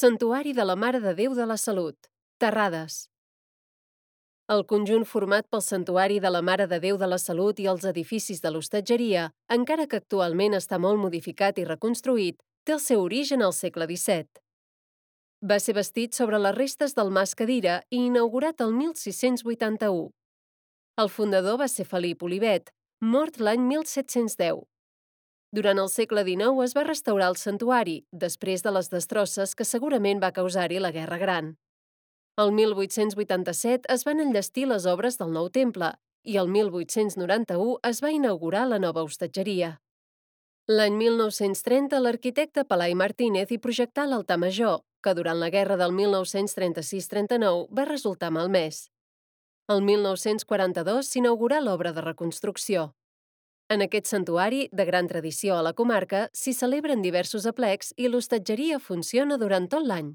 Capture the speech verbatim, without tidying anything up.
Santuari de la Mare de Déu de la Salut, Terrades. El conjunt format pel Santuari de la Mare de Déu de la Salut i els edificis de l'hostatgeria, encara que actualment està molt modificat i reconstruït, té el seu origen al segle disset. Va ser bastit sobre les restes del Mas Cadira i inaugurat el mil sis-cents vuitanta-u. El fundador va ser Felip Olivet, mort l'any mil set-cents deu. Durant el segle dinou es va restaurar el santuari, després de les destrosses que segurament va causar-hi la Guerra Gran. El mil vuit-cents vuitanta-set es van enllestir les obres del nou temple i el mil vuit-cents noranta-u es va inaugurar la nova hostatgeria. L'any mil nou-cents trenta l'arquitecte Pelai Martínez hi projectà l'altar major, que durant la guerra del mil nou-cents trenta-sis trenta-nou va resultar malmès. El mil nou-cents quaranta-dos s'inaugurà l'obra de reconstrucció. En aquest santuari, de gran tradició a la comarca, s'hi celebren diversos aplecs i l'hostatgeria funciona durant tot l'any.